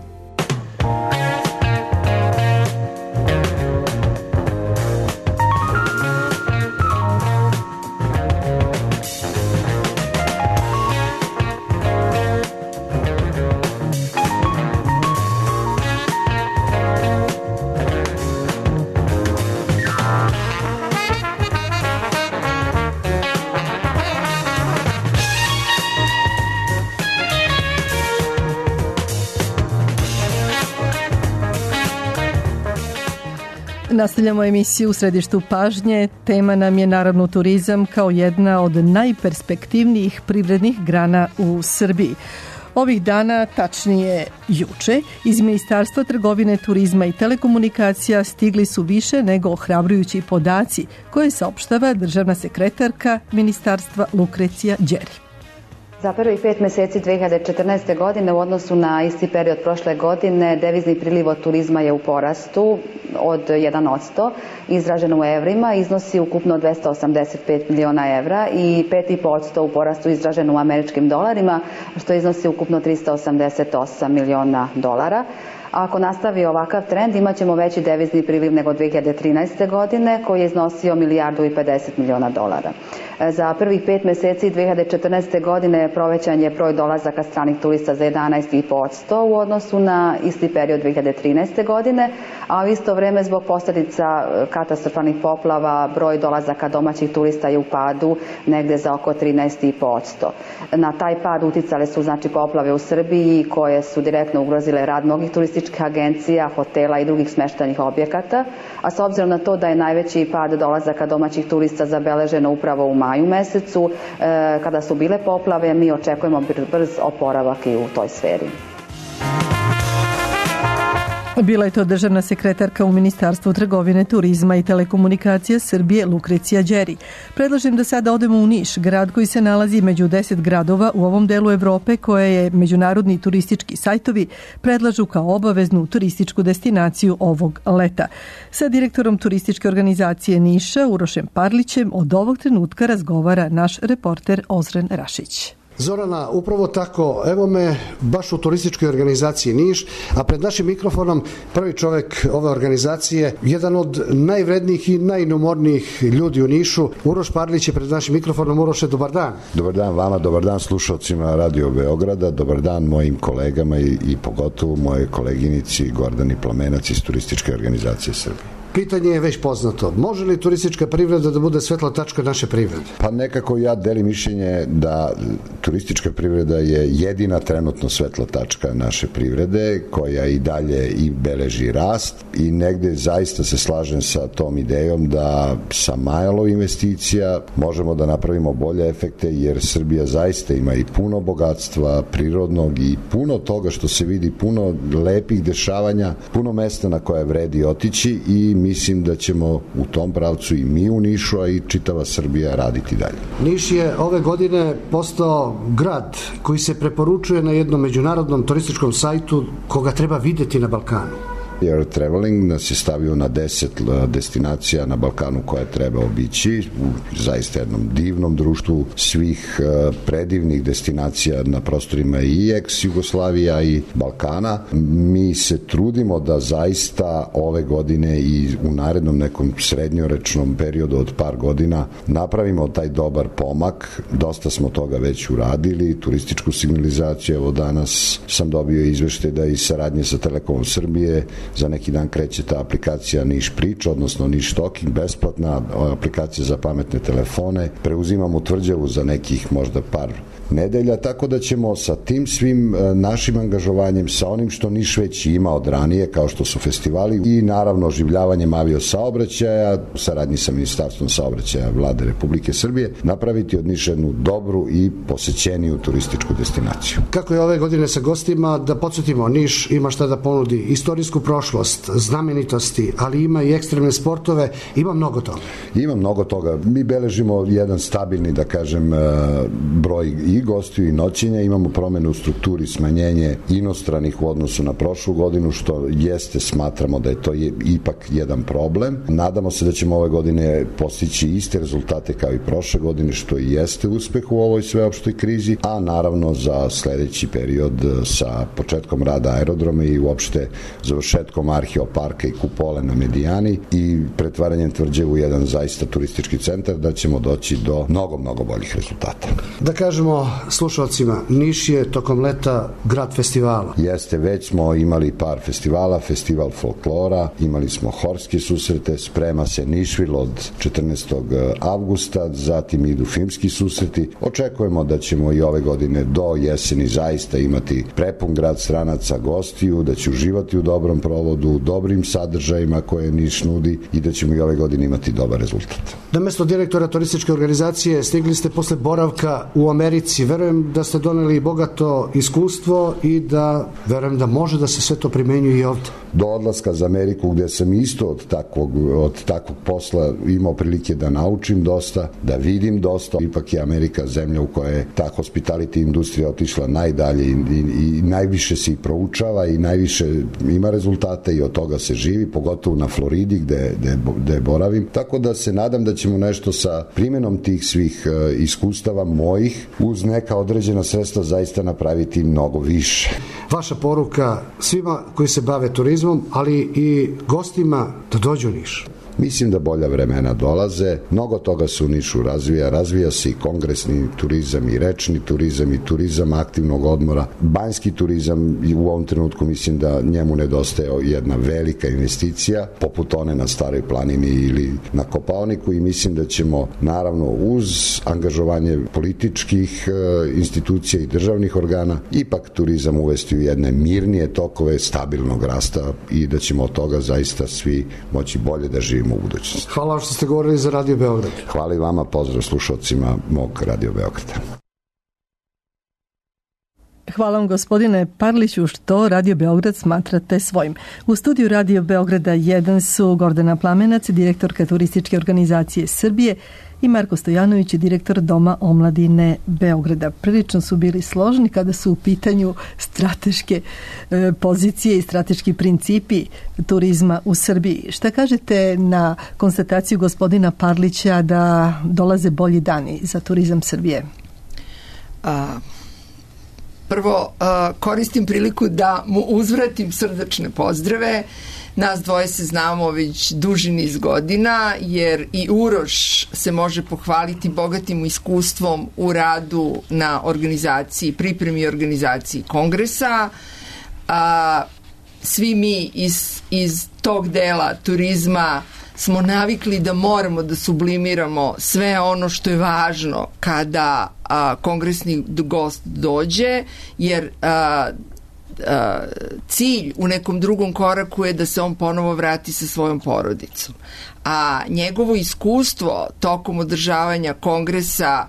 Nastavljamo emisiju u središtu pažnje. Tema nam je naravno turizam kao jedna od najperspektivnijih privrednih grana u Srbiji. Ovih dana, tačnije juče, iz Ministarstva trgovine, turizma i telekomunikacija stigli su više nego ohrabrujući podaci koje saopštava državna sekretarka Ministarstva Lukrecija Đeri. Za prvih pet meseci dve hiljade četrnaeste. godine u odnosu na isti period prošle godine devizni priliv od turizma je u porastu od jedan posto, izraženo u evrima, iznosi ukupno dvesta osamdeset pet miliona evra i pet i po posto u porastu izraženo u američkim dolarima, što iznosi ukupno trista osamdeset osam miliona dolara. A ako nastavi ovakav trend, imat ćemo veći devizni priliv nego dve hiljade trinaeste. godine, koji je iznosio milijardu i pedeset miliona dolara. Za prvih pet meseci dve hiljade četrnaeste. godine provećan je broj dolazaka stranih turista za jedanaest i po posto u odnosu na isti period dve hiljade trinaeste. godine, a u isto vreme zbog posljedica katastrofalnih poplava broj dolazaka domaćih turista je u padu negde za oko trinaest i po posto. Na taj pad uticale su znači poplave u Srbiji koje su direktno ugrozile rad mnogih turističkih agencija, hotela i drugih smeštajnih objekata, a s obzirom na to da je najveći pad dolazaka domaćih turista zabeleženo upravo u maju mesecu, e, kada su bile poplave, mi očekujemo brz oporavak i u toj sferi. Bila je to državna sekretarka u Ministarstvu trgovine, turizma i telekomunikacija Srbije Lukrecija Đeri. Predlažem da sada odemo u Niš, grad koji se nalazi među deset gradova u ovom delu Evrope koje je međunarodni turistički sajtovi predlažu kao obaveznu turističku destinaciju ovog leta. Sa direktorom turističke organizacije Niša, Urošem Parlićem, od ovog trenutka razgovara naš reporter Ozren Rašić. Zorana, upravo tako, evo me baš u turističkoj organizaciji Niš, a pred našim mikrofonom prvi čovek ove organizacije, jedan od najvrednijih i najnumornijih ljudi u Nišu, Uroš Parlić je pred našim mikrofonom. Uroše, dobar dan. Dobar dan vama, dobar dan slušalcima Radio Beograda, dobar dan mojim kolegama i, i pogotovo moje koleginici Gordani Plamenac iz turističke organizacije Srbije. Pitanje je već poznato. Može li turistička privreda da bude svetla tačka naše privrede? Pa nekako ja delim mišljenje da turistička privreda je jedina trenutno svetla tačka naše privrede koja i dalje i beleži rast i negde zaista se slažem sa tom idejom da sa malo investicija možemo da napravimo bolje efekte jer Srbija zaista ima i puno bogatstva prirodnog i puno toga što se vidi, puno lepih dešavanja, puno mesta na koje vredi otići i mislim da ćemo u tom pravcu i mi u Nišu, a i čitava Srbija raditi dalje. Niš je ove godine postao grad koji se preporučuje na jednom međunarodnom turističkom sajtu koga treba videti na Balkanu. Air Traveling nas je stavio na deset destinacija na Balkanu koje treba obići, u zaista jednom divnom društvu svih predivnih destinacija na prostorima i ex-Jugoslavija i Balkana. Mi se trudimo da zaista ove godine i u narednom nekom srednjoročnom periodu od par godina napravimo taj dobar pomak. Dosta smo toga već uradili, turističku signalizaciju, evo danas sam dobio izveštaj da i saradnje sa Telekomom Srbije za neki dan kreće ta aplikacija Niš Priča, odnosno Niš Talking, besplatna aplikacija za pametne telefone. Preuzimamo Tvrđavu za nekih možda par nedelja, tako da ćemo sa tim svim našim angažovanjem, sa onim što Niš već ima od ranije, kao što su festivali i naravno oživljavanjem avio saobraćaja, saradnji sa Ministarstvom saobraćaja Vlade Republike Srbije, napraviti od Niša jednu dobru i posećeniju turističku destinaciju. Kako je ove godine sa gostima, da podsjetimo, Niš ima šta da ponudi, istorijsku prošlost, znamenitosti, ali ima i ekstremne sportove, ima mnogo toga. Ima mnogo toga. Mi beležimo jedan stabilni, da kažem, broj i gostiju i noćenja, imamo promene u strukturi, smanjenje inostranih u odnosu na prošlu godinu, što jeste, smatramo da je to je, ipak jedan problem. Nadamo se da ćemo ove godine postići iste rezultate kao i prošle godine, što i jeste uspeh u ovoj sveopštoj krizi, a naravno za sledeći period sa početkom rada aerodroma i uopšte završetkom Arheoparka i Kupole na Medijani i pretvaranjem Tvrđave u jedan zaista turistički centar, da ćemo doći do mnogo, mnogo boljih rezultata. Da kažemo slušalcima, Niš je tokom leta grad festivala. Jeste, već smo imali par festivala, festival folklora, imali smo horske susrete, sprema se Nišvil od četrnaestog avgusta, zatim idu filmski susreti. Očekujemo da ćemo i ove godine do jeseni zaista imati prepun grad stranaca, gostiju, da će uživati u dobrom provodu, dobrim sadržajima koje Niš nudi i da ćemo i ove godine imati dobar rezultat. Na mesto direktora turističke organizacije stigli ste posle boravka u Americi. Verujem da ste doneli bogato iskustvo i da verujem da može da se sve to primenjuje i ovde. Do odlaska za Ameriku, gde sam isto od takvog, od takvog posla imao prilike da naučim dosta, da vidim dosta. Ipak je Amerika zemlja u kojoj je ta hospitality industrija otišla najdalje i, i, i najviše se i proučava i najviše ima rezultate i od toga se živi, pogotovo na Floridi gde, gde, gde boravim. Tako da se nadam da ćemo nešto sa primjenom tih svih uh, iskustava mojih uz neka određena sredstva zaista napraviti mnogo više. Vaša poruka svima koji se bave turizmom, ali i gostima da dođu u Niš. Mislim da bolja vremena dolaze, mnogo toga se u Nišu razvija, razvija se i kongresni turizam i rečni turizam i turizam aktivnog odmora. Banjski turizam i u ovom trenutku mislim da njemu nedostaje jedna velika investicija, poput one na Staroj planini ili na Kopaoniku i mislim da ćemo naravno uz angažovanje političkih e, institucija i državnih organa ipak turizam uvesti u jedne mirnije tokove stabilnog rasta i da ćemo od toga zaista svi moći bolje da živimo u budućnosti. Hvala što ste govorili za Radio Beograd. Hvala i vama, pozdrav slušalcima mog Radio Beograda. Hvala vam gospodine Parliću što Radio Beograd smatrate svojim. U studiju Radio Beograda jedan su Gordana Plamenac, direktorka turističke organizacije Srbije, i Marko Stojanović, direktor Doma omladine Beograda. Prilično su bili složni kada su u pitanju strateške e, pozicije i strateški principi turizma u Srbiji. Šta kažete na konstataciju gospodina Parlića da dolaze bolji dani za turizam Srbije? A, prvo, a, koristim priliku da mu uzvratim srdačne pozdrave. Nas dvoje se znamo već duži niz godina, jer i Uroš se može pohvaliti bogatim iskustvom u radu na organizaciji, pripremi i organizaciji kongresa. A, svi mi iz, iz tog dela turizma smo navikli da moramo da sublimiramo sve ono što je važno kada a, kongresni gost dođe, jer a, a, cilj u nekom drugom koraku je da se on ponovo vrati sa svojom porodicom. A njegovo iskustvo tokom održavanja kongresa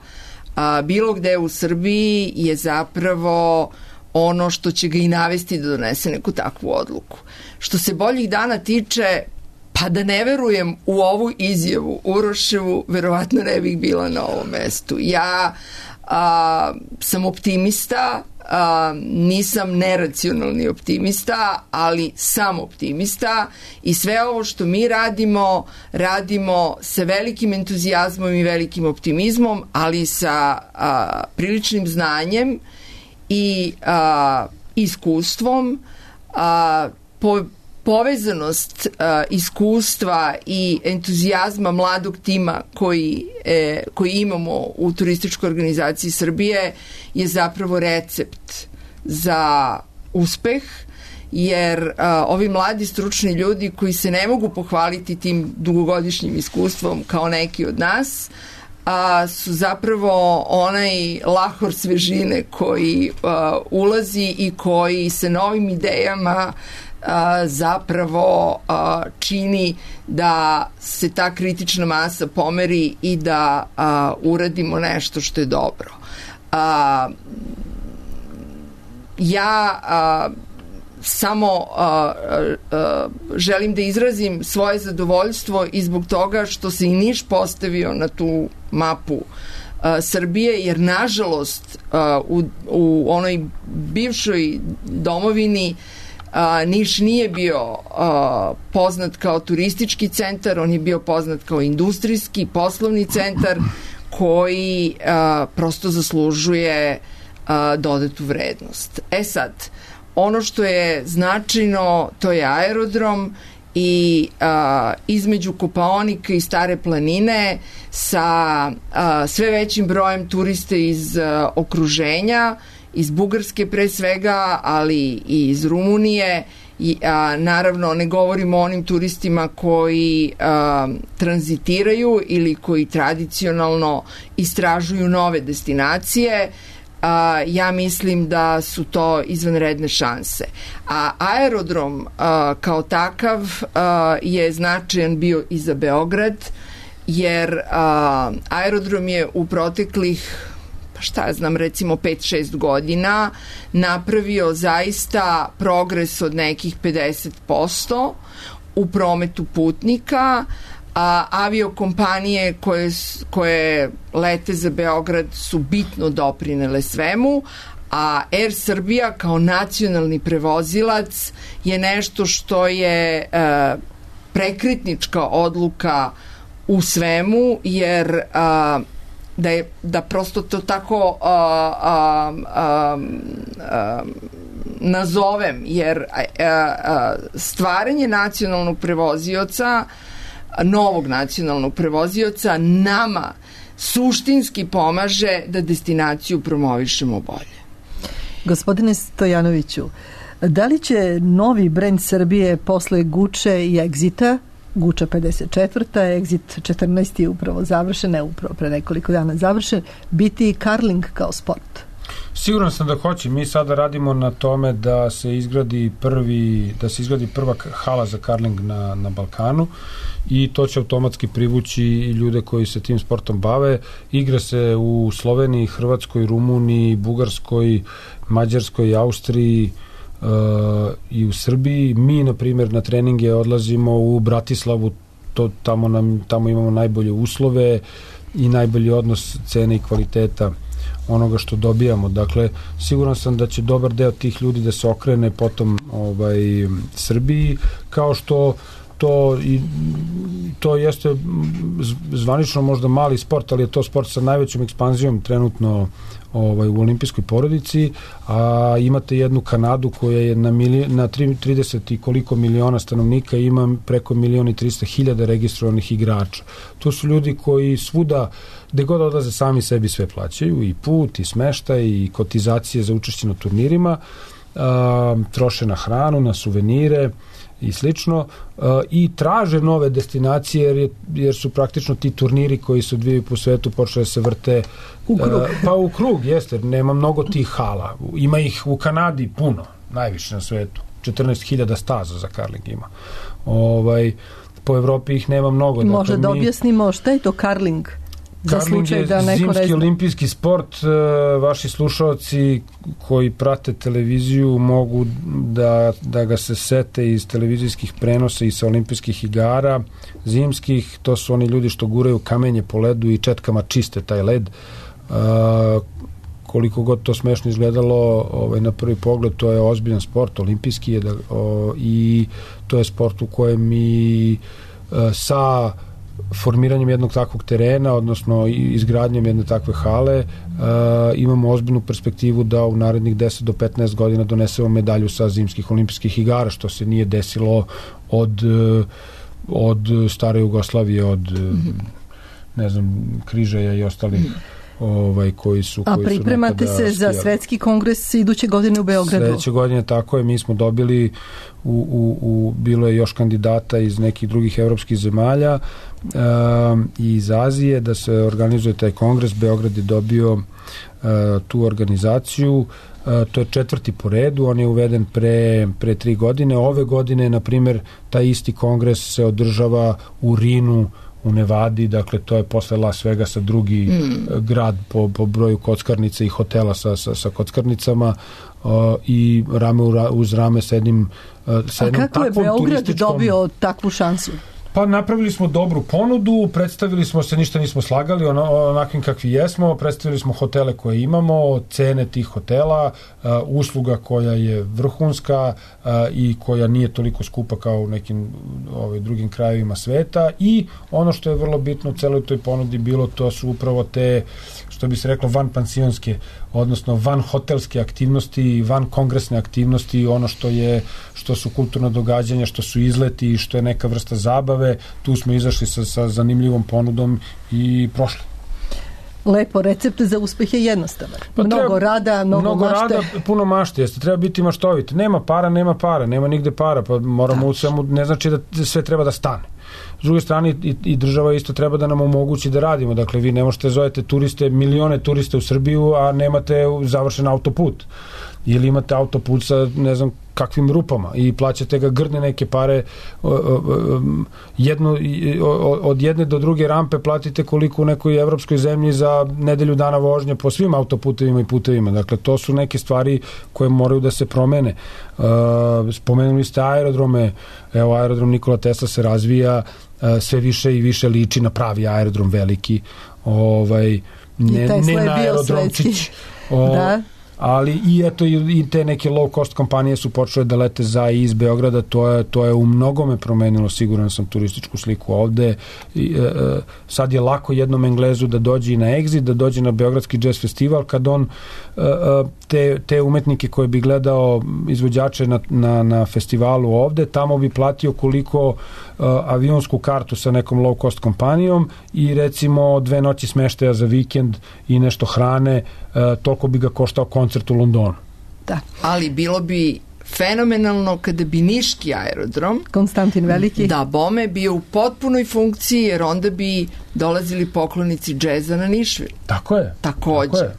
a, bilo gde u Srbiji je zapravo ono što će ga i navesti da donese neku takvu odluku. Što se boljih dana tiče, pa da ne verujem u ovu izjavu Uroševu, verovatno ne bih bila na ovom mestu. Ja a, sam optimista, a, nisam neracionalni optimista, ali sam optimista i sve ovo što mi radimo, radimo sa velikim entuzijazmom i velikim optimizmom, ali sa a, priličnim znanjem i a, iskustvom, a, po, povezanost a, iskustva i entuzijazma mladog tima koji, e, koji imamo u Turističkoj organizaciji Srbije je zapravo recept za uspeh, jer a, ovi mladi stručni ljudi koji se ne mogu pohvaliti tim dugogodišnjim iskustvom kao neki od nas, a, su zapravo onaj lahor svežine koji a, ulazi i koji se novim idejama a, zapravo a, čini da se ta kritična masa pomeri i da a, uradimo nešto što je dobro. A, ja a, samo a, a, želim da izrazim svoje zadovoljstvo i zbog toga što se i Niš postavio na tu mapu a, Srbije, jer nažalost a, u, u onoj bivšoj domovini a, Niš nije bio a, poznat kao turistički centar, on je bio poznat kao industrijski, poslovni centar koji a, prosto zaslužuje a, dodatu vrednost. E sad, ono što je značajno, to je aerodrom i a, između Kopaonika i Stare planine sa a, sve većim brojem turista iz a, okruženja, iz Bugarske pre svega, ali i iz Rumunije. I, a, naravno, ne govorimo o onim turistima koji a, tranzitiraju ili koji tradicionalno istražuju nove destinacije. A, ja mislim da su to izvanredne šanse. A aerodrom a, kao takav a, je značajan bio i za Beograd, jer a, aerodrom je u proteklih, pa šta ja znam, recimo pet šest godina napravio zaista progres od nekih pedeset posto u prometu putnika. A aviokompanije koje, koje lete za Beograd su bitno doprinele svemu, a Air Srbija kao nacionalni prevozilac je nešto što je e, prekretnička odluka u svemu, jer a, da je da prosto to tako a, a, a, a, nazovem, jer a, a, stvaranje nacionalnog prevozioca, novog nacionalnog prevozioca nama suštinski pomaže da destinaciju promovišemo bolje. Gospodine Stojanoviću, da li će novi brend Srbije posle Guče i Exita, Guča pedeset četvrta, Exit četrnaest je upravo završen, ne upravo pre nekoliko dana završen, biti karling kao sport? Siguran sam da hoće. Mi sada radimo na tome da se izgradi prvi, da se izgradi prva hala za karling na, na Balkanu i to će automatski privući i ljude koji se tim sportom bave. Igra se u Sloveniji, Hrvatskoj, Rumuniji, Bugarskoj, Mađarskoj, Austriji uh, i u Srbiji. Mi, na primjer, na treninge odlazimo u Bratislavu, to, tamo, nam, tamo imamo najbolje uslove i najbolji odnos cene i kvaliteta onoga što dobijamo. Dakle, siguran sam da će dobar deo tih ljudi da se okrene potom ovaj, Srbiji, kao što to i to jeste zvanično možda mali sport, ali je to sport sa najvećom ekspanzijom trenutno ovaj, u olimpijskoj porodici, a imate jednu Kanadu koja je na, milij, na trideset i koliko miliona stanovnika ima preko milion i trista hiljada registrovanih igrača. To su ljudi koji svuda, gde god odlaze, sami sebi sve plaćaju, i put, i smeštaj, i kotizacije za učešće na turnirima, a, troše na hranu, na suvenire i slično, uh, i traže nove destinacije, jer, je, jer su praktično ti turniri koji se odvijaju po svetu počeli da se vrte u krug. Uh, pa u krug, jeste, nema mnogo tih hala. Ima ih u Kanadi puno, najviše na svetu. četrnaest hiljada staza za karling ima. Ovaj, po Evropi ih nema mnogo. Može dakle, da mi... objasnimo šta je to karling? Karling je da zimski olimpijski sport. Vaši slušalci koji prate televiziju mogu da, da ga se sete iz televizijskih prenosa i sa olimpijskih igara zimskih. To su oni ljudi što guraju kamenje po ledu i četkama čiste taj led, koliko god to smešno izgledalo ovaj, na prvi pogled, to je ozbiljan sport, olimpijski je da, o, i to je sport u kojem mi e, sa formiranjem jednog takvog terena, odnosno izgradnjom jedne takve hale, uh, imamo ozbiljnu perspektivu da u narednih deset do petnaest godina donesemo medalju sa zimskih olimpijskih igara, što se nije desilo od, od stare Jugoslavije, od mm-hmm. ne znam, Križaja i ostalih ovaj, koji su A koji pripremate su se za svetski kongres iduće godine u Beogradu? Sledeće godine, tako je, mi smo dobili u, u, u, bilo je još kandidata iz nekih drugih evropskih zemalja um, i iz Azije da se organizuje taj kongres. Beograd je dobio uh, tu organizaciju. Uh, to je četvrti po redu, on je uveden pre, pre tri godine. Ove godine, na primer, taj isti kongres se održava u Rinu, u Nevadi, dakle to je posle Las Vegasa drugi mm. grad po, po broju kockarnica i hotela sa, sa, sa kockarnicama uh, i rame uz rame s jednim uh, sa jednom A kako je Beograd dobio takvu šansu? Pa napravili smo dobru ponudu, predstavili smo se, ništa nismo slagali, ono, onakvim kakvi jesmo, predstavili smo hotele koje imamo, cene tih hotela, uh, usluga koja je vrhunska uh, i koja nije toliko skupa kao u nekim ovaj, drugim krajevima sveta, i ono što je vrlo bitno u celoj toj ponudi bilo, to su upravo te, što bi se reklo, van pansionske, odnosno van hotelske aktivnosti, van kongresne aktivnosti, ono što je, što su kulturno događanja, što su izleti, što je neka vrsta zabave. Tu smo izašli sa, sa zanimljivom ponudom i prošli. Lepo, recept za uspeh je jednostavan. Pa mnogo treba, rada, mnogo, mnogo mašte. rada, puno mašte, jeste, treba biti maštovit. Nema para, nema para, nema nigde para, pa moramo u svemu, ne znači da sve treba da stane. S druge strane i, i država isto treba da nam omogući da radimo. Dakle, vi ne možete zovete turiste, milione turiste u Srbiju, a nemate završen autoput. Ili imate autoput sa ne znam kakvim rupama i plaćate ga grdne neke pare, jednu, od jedne do druge rampe platite koliko u nekoj evropskoj zemlji za nedelju dana vožnje po svim autoputevima i putevima. Dakle, to su neke stvari koje moraju da se promene. Spomenuli ste aerodrome, evo aerodrom Nikola Tesla se razvija, sve više i više liči na pravi aerodrom veliki, ovaj, ne, ne na aerodromčić. Da. Ali i eto i te neke low cost kompanije su počele da lete za i iz Beograda, to je, to je u mnogome promenilo, siguran sam, turističku sliku ovde. I, e, sad je lako jednom Englezu da dođe i na Exit, da dođe na Beogradski jazz festival, kad on e, te, te umetnike koje bi gledao, izvođače na, na, na festivalu ovde, tamo bi platio koliko e, avionsku kartu sa nekom low cost kompanijom i recimo dve noći smeštaja za vikend i nešto hrane, e, toliko bi ga koštao koncert u Londonu. Da. Ali bilo bi fenomenalno kada bi niški aerodrom Konstantin Veliki da bome bio u potpunoj funkciji, jer onda bi dolazili poklonici džeza na Nišvil. Tako je. Takođe. Tako je.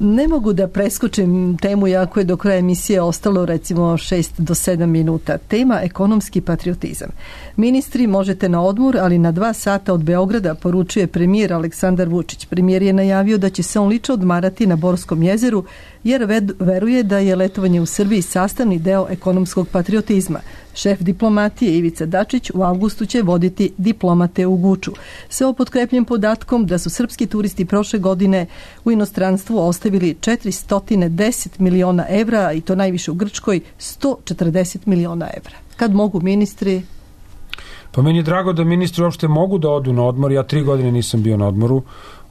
Ne mogu da preskočim temu, jako je do kraja emisije ostalo recimo šest do sedam minuta. Tema ekonomski patriotizam. Ministri, možete na odmor, ali na dva sata od Beograda, poručuje premijer Aleksandar Vučić. Premijer je najavio da će se on lično odmarati na Borskom jezeru, jer veruje da je letovanje u Srbiji sastavni deo ekonomskog patriotizma. Šef diplomatije Ivica Dačić u avgustu će voditi diplomate u Guču. Sve o potkrepljen podatkom da su srpski turisti prošle godine u inostranstvu ostavili četiristo deset miliona evra, i to najviše u Grčkoj, sto četrdeset miliona evra. Kad mogu ministri? Pa meni je drago da ministri uopšte mogu da odu na odmor. Ja tri godine nisam bio na odmoru,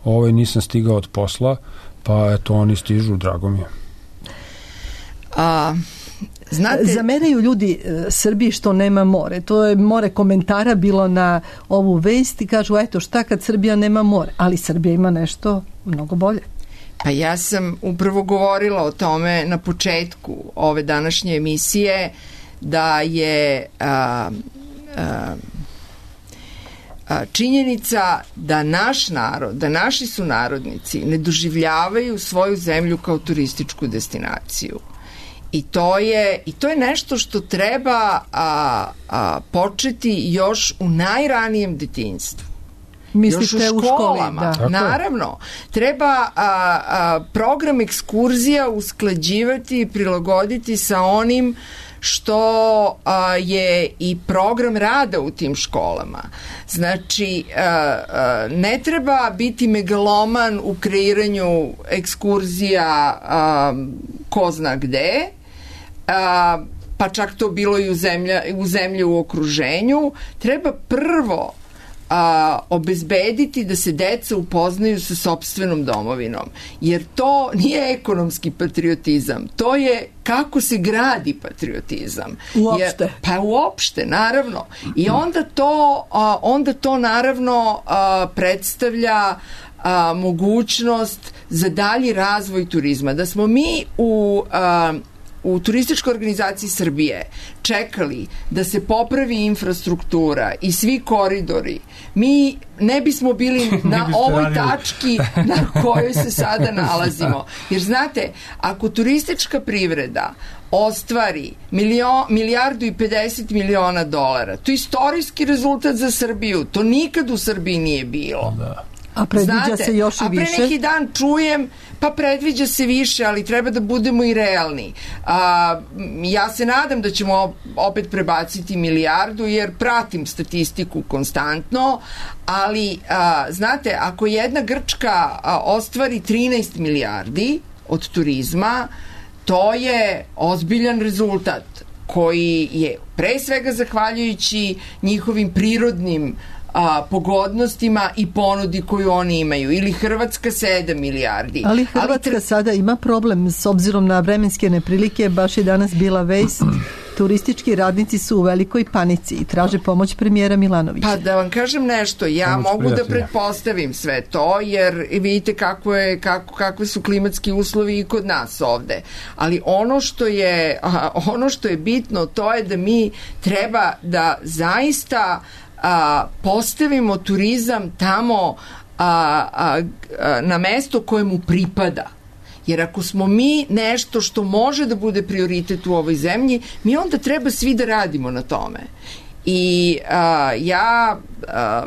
ovaj nisam stigao od posla, pa eto oni stižu, drago mi je. A... Znate, zameraju ljudi e, Srbiji što nema more. To je more komentara bilo na ovu vest i kažu, eto šta kad Srbija nema more, ali Srbija ima nešto mnogo bolje. Pa ja sam upravo govorila o tome na početku ove današnje emisije, da je a, a, a, činjenica da naš narod, da naši sunarodnici ne doživljavaju svoju zemlju kao turističku destinaciju. I to je, i to je nešto što treba a, a, početi još u najranijem detinjstvu. Mislite još u školama. U školi, da. Naravno. Treba a, a, program ekskurzija usklađivati i prilagoditi sa onim što a, je i program rada u tim školama. Znači, a, a, ne treba biti megaloman u kreiranju ekskurzija a, ko zna gde, a, pa čak to bilo i u, zemlja, u zemlji u okruženju. Treba prvo a, obezbediti da se deca upoznaju sa sopstvenom domovinom, jer to nije ekonomski patriotizam, to je kako se gradi patriotizam. Uopšte. Jer, pa uopšte, naravno. I onda to, a, onda to naravno a, predstavlja a, mogućnost za dalji razvoj turizma. Da smo mi u a, u Turističkoj organizaciji Srbije čekali da se popravi infrastruktura i svi koridori, mi ne bismo bili na ovoj tački na kojoj se sada nalazimo. Jer znate, ako turistička privreda ostvari milion, milijardu i pedeset miliona dolara, to je istorijski rezultat za Srbiju. To nikad u Srbiji nije bilo. Da. A predviđa Znate, se još i više? A pre neki dan čujem, pa predviđa se više, ali treba da budemo i realni. A, ja se nadam da ćemo opet prebaciti milijardu, jer pratim statistiku konstantno, ali a, znate, ako jedna Grčka a, ostvari trinaest milijardi od turizma, to je ozbiljan rezultat koji je pre svega zahvaljujući njihovim prirodnim a, pogodnostima i ponudi koju oni imaju. Ili Hrvatska sedam milijardi. Ali Hrvatska Ali tre... sada ima problem s obzirom na vremenske neprilike. Baš je danas bila vest. Turistički radnici su u velikoj panici i traže pomoć premijera Milanovića. Pa da vam kažem nešto, ja pomoć mogu prijatelja. Da pretpostavim sve to, jer vidite kako je, kako, kakve su klimatski uslovi i kod nas ovde. Ali ono što je, ono što je bitno, to je da mi treba da zaista a, postavimo turizam tamo a, a, a, na mesto koje mu pripada. Jer ako smo mi nešto što može da bude prioritet u ovoj zemlji, mi onda treba svi da radimo na tome. I a, ja a,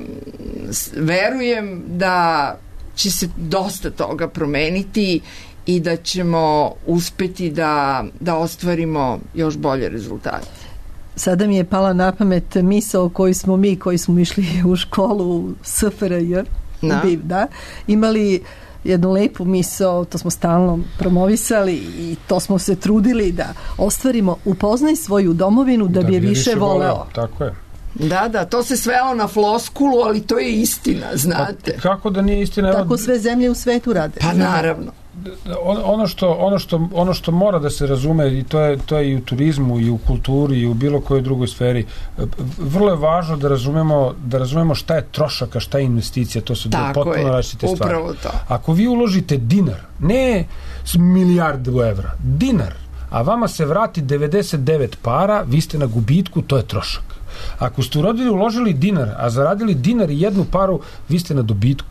verujem da će se dosta toga promeniti i da ćemo uspeti da, da ostvarimo još bolje rezultate. Sada mi je pala na pamet misao koju smo mi, koji smo išli u školu u S F R J, da. Da, imali jednu lepu misao, to smo stalno promovisali i to smo se trudili da ostvarimo: upoznaj svoju domovinu da, da bi je više, više voleo. voleo. Tako je. Da, da, to se svelo na floskulu, ali to je istina, znate. Pa, kako da nije istina? Tako sve zemlje u svetu rade. Pa naravno. Ono što, ono, što, ono što mora da se razume, i to je, to je i u turizmu i u kulturi i u bilo kojoj drugoj sferi, vrlo je važno da razumemo, da razumemo šta je trošak, a šta je investicija. To su dve potpuno različite stvari. To. Ako vi uložite dinar, ne milijardu evra, dinar, a vama se vrati devedeset devet para, vi ste na gubitku, to je trošak. Ako ste urodili, uložili dinar, a zaradili dinar i jednu paru, vi ste na dobitku.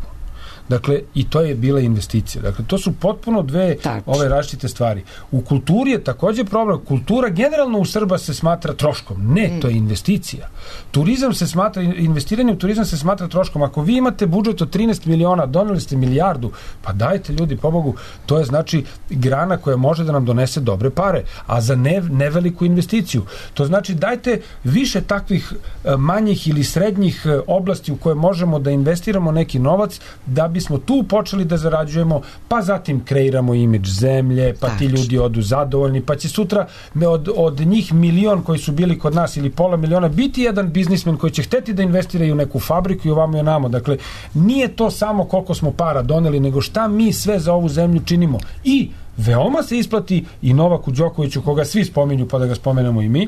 Dakle, i to je bila investicija. Dakle, to su potpuno dve Tač. ove različite stvari. U kulturi je takođe problem. Kultura generalno u Srba se smatra troškom. Ne, mm. to je investicija. Turizam se smatra, investiranje u turizam se smatra troškom. Ako vi imate budžet od trinaest miliona, doneli ste milijardu, pa dajte ljudi, pobogu, to je znači grana koja može da nam donese dobre pare, a za ne, neveliku investiciju. To znači dajte više takvih manjih ili srednjih oblasti u koje možemo da investiramo neki novac, da bi smo tu počeli da zarađujemo, pa zatim kreiramo imidž zemlje, pa ti ljudi odu zadovoljni, pa će sutra od, od njih milion koji su bili kod nas ili pola miliona biti jedan biznismen koji će hteti da investiraju u neku fabriku i ovamo i onamo. Dakle, nije to samo koliko smo para doneli, nego šta mi sve za ovu zemlju činimo. I veoma se isplati i Novaku Đokoviću, koga svi spominju, pa da ga spomenemo i mi,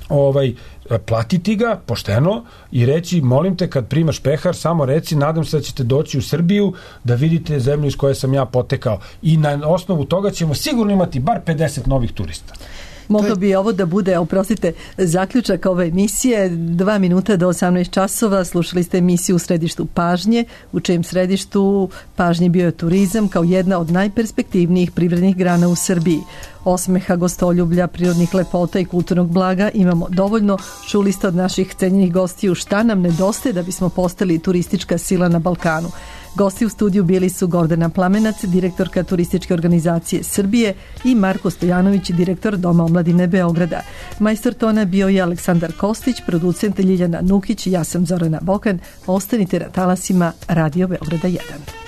ovaj, platiti ga pošteno i reći: molim te, kad primaš pehar, samo reci, nadam se da ćete doći u Srbiju da vidite zemlju iz koje sam ja potekao, i na osnovu toga ćemo sigurno imati bar pedeset novih turista. Moglo bi ovo da bude, oprostite, zaključak ove emisije. Dva minuta do osamnaest časova slušali ste emisiju u središtu pažnje, u čijem središtu pažnje bio je turizam kao jedna od najperspektivnijih privrednih grana u Srbiji. Osmeha, gostoljublja, prirodnih lepota i kulturnog blaga imamo dovoljno. Čuli ste od naših cenjenih gostiju šta nam nedostaje da bismo postali turistička sila na Balkanu. Gosti u studiju bili su Gordana Plamenac, direktorka Turističke organizacije Srbije, i Marko Stojanović, direktor Doma omladine Beograda. Majstor tona bio je Aleksandar Kostić, producent Ljiljana Nukić, ja sam Zorana Bokan. Ostanite na talasima Radio Beograda jedan.